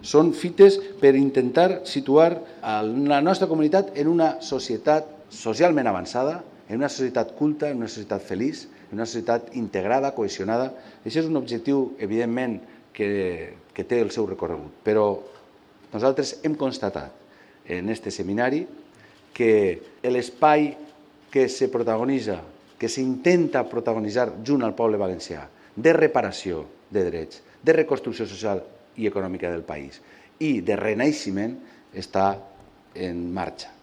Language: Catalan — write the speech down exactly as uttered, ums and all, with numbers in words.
Són fites per intentar situar la nostra comunitat en una societat socialment avançada, en una societat culta, en una societat feliç, en una societat integrada, cohesionada. Això és un objectiu, evidentment, que, que té el seu recorregut. Però nosaltres hem constatat en aquest seminari que l'espai que se protagonitza, que s'intenta protagonitzar junt al poble valencià, de reparació de drets, de reconstrucció social i econòmica del país i de renaixement, està en marxa.